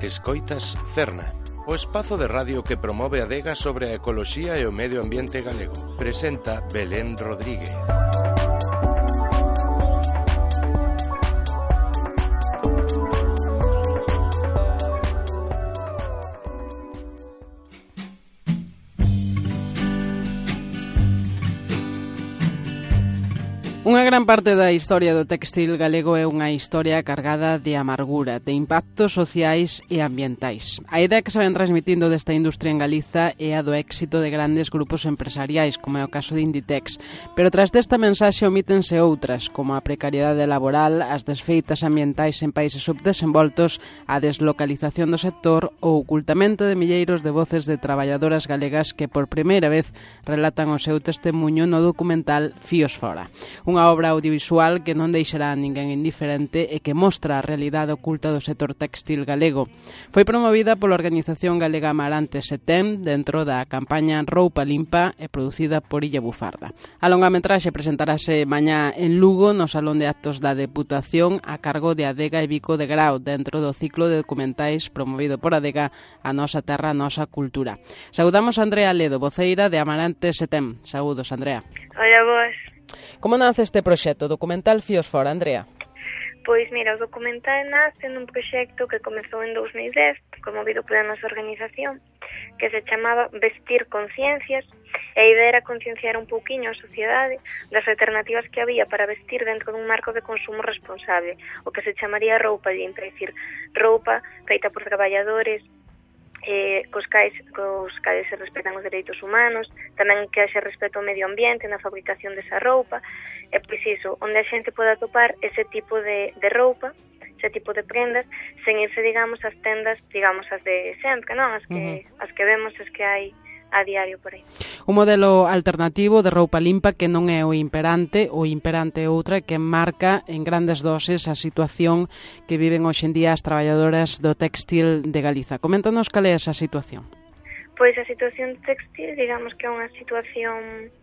Escoitas Cerna, o espazo de radio que promove a adega sobre a ecoloxía e o medio ambiente galego. Presenta Belén Rodríguez. Unha gran parte da historia do téxtil galego é unha historia cargada de amargura, de impactos sociais e ambientais. A idea que se ven transmitindo desta industria en Galiza é a do éxito de grandes grupos empresariais, como é o caso de Inditex. Pero tras desta mensaxe omítense outras, como a precariedade laboral, as desfeitas ambientais en países subdesenvoltos, a deslocalización do sector ou o ocultamento de milleiros de voces de traballadoras galegas que por primeira vez relatan o seu testemunho no documental Fíos Fora. Unha obra audiovisual que non deixará a ninguén indiferente e que mostra a realidade oculta do sector téxtil galego. Foi promovida pola organización galega Amarante Setén dentro da campaña Roupa Limpa e producida por Illa Bufarda. A longametraxe presentarase mañá en Lugo no Salón de Actos da Deputación a cargo de Adega e Vico de Grau dentro do ciclo de documentais promovido por Adega A Nosa Terra, a Nosa Cultura. Saudamos a Andrea Ledo, voceira de Amarante Setén. Saúdos, Andrea. Hola, vos. Como nace este proxecto documental Fíos Fora, Andrea? Pois mira, o documental nace nun proxecto que comezou en 2010, promovido pola nosa organización, que se chamaba Vestir Conciencias, e a idea era concienciar un pouquiño a sociedade das alternativas que había para vestir dentro dun marco de consumo responsable, o que se chamaría roupa limpa, é dicir, roupa feita por traballadores, cos cais se respetan os dereitos humanos, tamén que se respeta o medio ambiente na fabricación desa roupa, e pois iso, onde a xente poda atopar ese tipo de roupa, ese tipo de prendas, sen irse, digamos, as tendas, digamos, as de sempre, non? As que vemos, as que hai a diario por aí. Un modelo alternativo de roupa limpa que non é o imperante é outra que marca en grandes doses a situación que viven hoxe en día as traballadoras do téxtil de Galiza. Coméntanos cal é esa situación. Pois a situación textil, digamos que é unha situación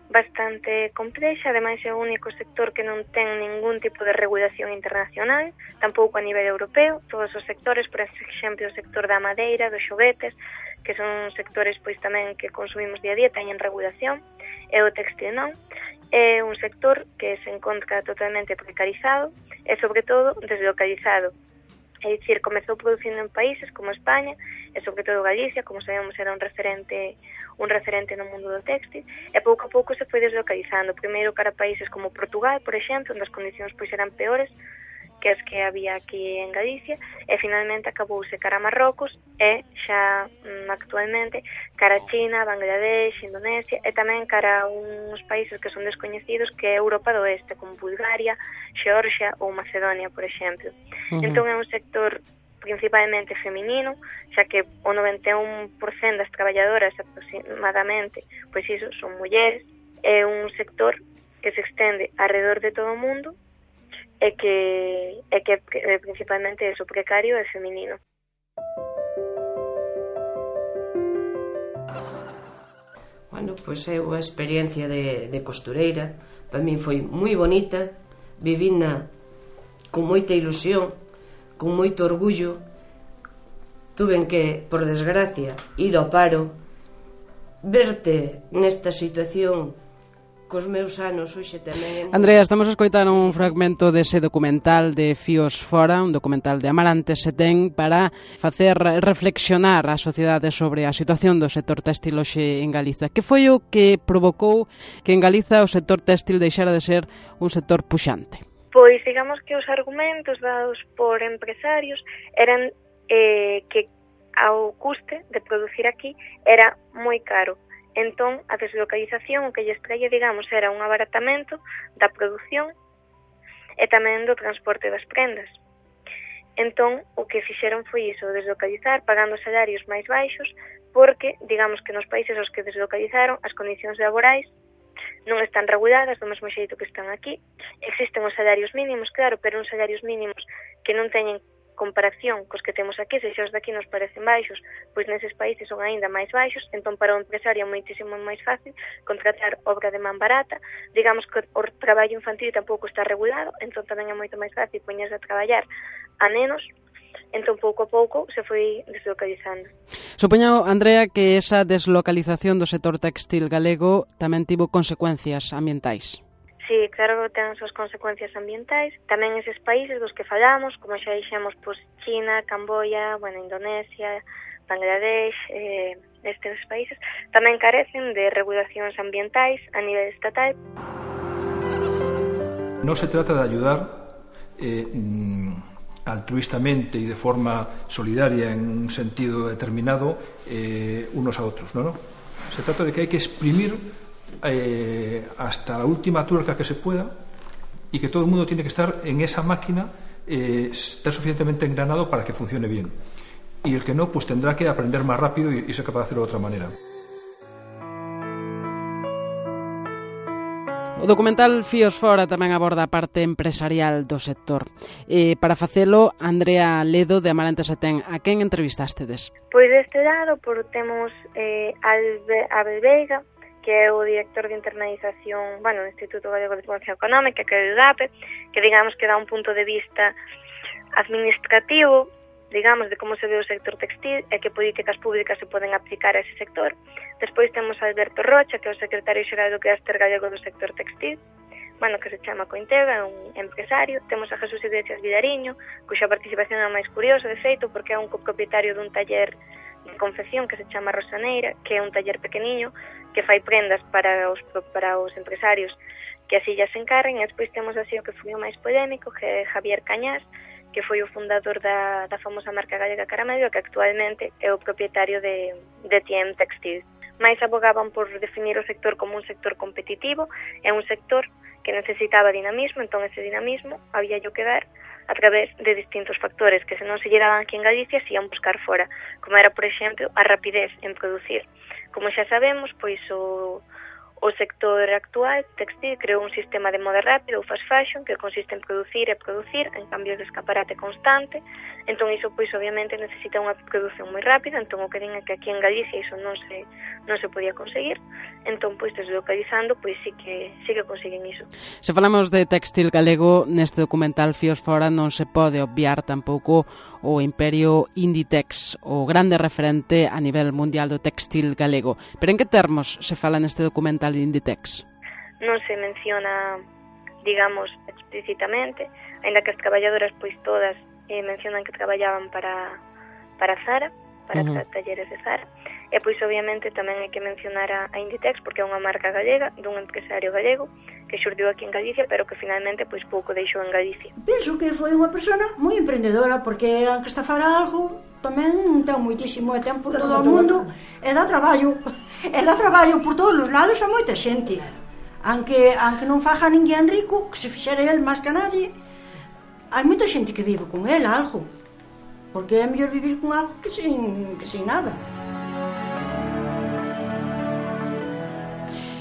bastante complexa, ademais é o único sector que non ten ningún tipo de regulación internacional, tampouco a nivel europeo. Todos os sectores, por exemplo, o sector da madeira, dos xoguetes, que son sectores pois tamén que consumimos día a día, teñen regulación, e o textil non. É un sector que se encontra totalmente precarizado e, sobre todo, deslocalizado. É dicir, comezou producindo en países como España e, sobre todo, Galicia, como sabemos, era un referente no mundo do textil, e pouco a pouco se foi deslocalizando. Primeiro cara a países como Portugal, por exemplo, onde as condicións pois eran peores que as que había aquí en Galicia, e finalmente acabouse cara a Marrocos e xa actualmente cara a China, Bangladesh, Indonesia e tamén cara a uns países que son descoñecidos que é Europa do Oeste, como Bulgaria, Xeorxia ou Macedonia, por exemplo. Entón é un sector principalmente feminino, xa que o 91% das traballadoras aproximadamente, pois iso, son mulleres. É un sector que se extende alrededor de todo o mundo e que principalmente é o precario e feminino. Bueno, pois eu a experiencia de costureira para min foi moi bonita, vivina con moita ilusión, con moito orgullo. Tuven que, por desgracia, ir ao paro, verte nesta situación cos meus anos hoxe tamén. Andrea, estamos a escoitar un fragmento dese documental de Fíos Fora, un documental de Amarante Setén, para facer reflexionar a sociedade sobre a situación do sector téxtil hoxe en Galiza. Que foi o que provocou que en Galiza o sector téxtil deixara de ser un sector puxante? Pois digamos que os argumentos dados por empresarios eran que ao custe de producir aquí era moi caro. Entón, a deslocalización o que lles traía, digamos, era un abaratamento da produción e tamén do transporte das prendas. Entón, o que fixeron foi iso, deslocalizar, pagando salarios máis baixos, porque, digamos que nos países aos que deslocalizaron, as condicións laborais non están reguladas do mesmo xeito que están aquí. Existen os salarios mínimos, claro, pero uns salarios mínimos que non teñen comparación cos que temos aquí, se xa os daqui nos parecen baixos, pois neses países son aínda máis baixos. Entón para o empresario é moitísimo máis fácil contratar obra de man barata. Digamos que o traballo infantil tampouco está regulado, entón tamén é moito máis fácil poñerse a traballar a nenos, Entón, pouco a pouco, se foi deslocalizando. Supoño, Andrea, que esa deslocalización do sector textil galego tamén tivo consecuencias ambientais. Sí, claro que ten as súas consecuencias ambientais. Tamén eses países dos que falamos, como xa dixemos, pois China, Camboya, Indonesia, Bangladesh, estes países, tamén carecen de regulacións ambientais a nivel estatal. Non se trata de ayudar altruistamente y de forma solidaria en un sentido determinado unos a otros, ¿no? Se trata de que hay que exprimir hasta la última tuerca que se pueda y que todo el mundo tiene que estar en esa máquina, estar suficientemente engranado para que funcione bien. Y el que no, pues tendrá que aprender más rápido y ser capaz de hacerlo de otra manera. O documental Fíos Fora tamén aborda a parte empresarial do sector. Para facelo, Andrea Ledo, de Amarante Setén, a quen entrevistastedes? Pois deste lado, temos Abel Veiga, que é o director de internalización no Instituto Galego de Promoción Económica, que é o IDAPE, que digamos que dá un punto de vista administrativo, digamos, de como se ve o sector textil e que políticas públicas se poden aplicar a ese sector. Despois temos a Alberto Rocha, que é o secretario xeral do Clúster Galego do sector textil, que se chama Cointega, é un empresario. Temos a Jesús Iglesias Vidariño, cuxa participación é máis curiosa, de feito, porque é un copropietario dun taller de confección que se chama Rosaneira, que é un taller pequeniño que fai prendas para os empresarios que así ya se encarren. E despois temos así o que foi o máis polémico, que é Javier Cañas, que foi o fundador da famosa marca galega Caramello, que actualmente é o propietario de TM Textil. Mais abogaban por definir o sector como un sector competitivo, é un sector que necesitaba dinamismo, entón ese dinamismo había que dar a través de distintos factores que se non se lle daban aquí en Galicia se ian buscar fora, como era, por exemplo, a rapidez en producir. Como xa sabemos, pois o sector actual textil creou un sistema de moda rápida, o fast fashion, que consiste en producir en cambios de escaparate constante. Entón iso, pois, obviamente, necesita unha produción moi rápida. Entón o que din é que aquí en Galicia iso non se podía conseguir. Entón, pois, deslocalizando, pois sí que consiguen iso. Se falamos de textil galego, neste documental Fíos Fora non se pode obviar tampouco o imperio Inditex, o grande referente a nivel mundial do textil galego. Pero en que termos se fala neste documental de Inditex? Non se menciona, digamos, explícitamente, ainda que as traballadoras, pois todas, mencionan que traballaban para Zara, para talleres de Zara. E pois obviamente tamén hai que mencionar a Inditex, porque é unha marca galega dun empresario galego que xurdiu aquí en Galicia, pero que finalmente pois pouco deixou en Galicia. Penso que foi unha persona moi emprendedora, porque aunque está fara algo tamén ten moitísimo tempo por todo o mundo e dá traballo por todos os lados a moita xente. Aunque non faja ninguén rico, que se fixera el máis que nadie, hai moita xente que vive con el algo, porque é mellor vivir con algo que sin nada.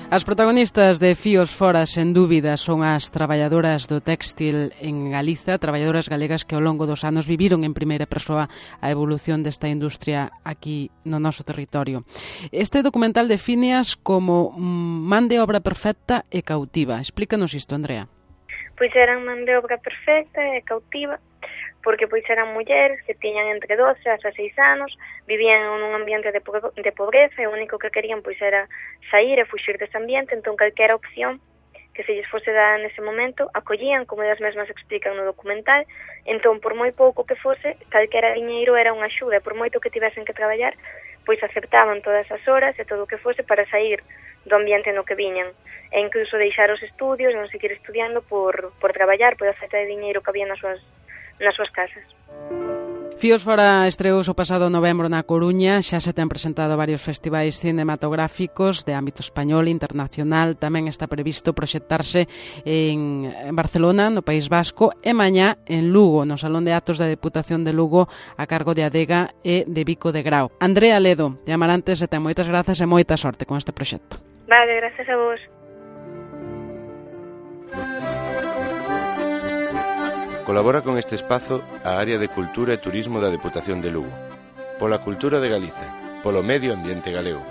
As protagonistas de Fíos Fora, sen dúbida, son as traballadoras do textil en Galiza, traballadoras galegas que ao longo dos anos viviron en primeira persoa a evolución desta industria aquí no noso territorio. Este documental defíneas como man de obra perfecta e cautiva. Explícanos isto, Andrea. Pois eran man de obra perfecta e cautiva, porque pois eran mulleres que tiñan entre 12 a 16 anos, vivían nun ambiente de pobreza e o único que querían pois era sair e fuxir dese ambiente. Entón calquera opción que se lles fose dada nese momento acollían, como elas mesmas explican no documental. Entón, por moi pouco que fose, calquera diñeiro era unha axuda, por moito que tivesen que traballar, pois aceptaban todas as horas e todo o que fose para sair do ambiente no que viñan, e incluso deixar os estudios e non seguir estudiando por traballar, por a falta de diñeiro que había nas súas casas. Fíos Fora estreouse o pasado novembro na Coruña, xa se ten presentado varios festivais cinematográficos de ámbito español e internacional, tamén está previsto proxectarse en Barcelona, no País Vasco, e mañá en Lugo, no Salón de Actos da Deputación de Lugo, a cargo de Adega e de Vico de Grao. Andrea Ledo, de Amarante Setén, moitas grazas e moita sorte con este proxecto. Vale, gracias a vos. Colabora con este espazo a Área de Cultura e Turismo da Deputación de Lugo. Pola cultura de Galicia, polo medio ambiente galego.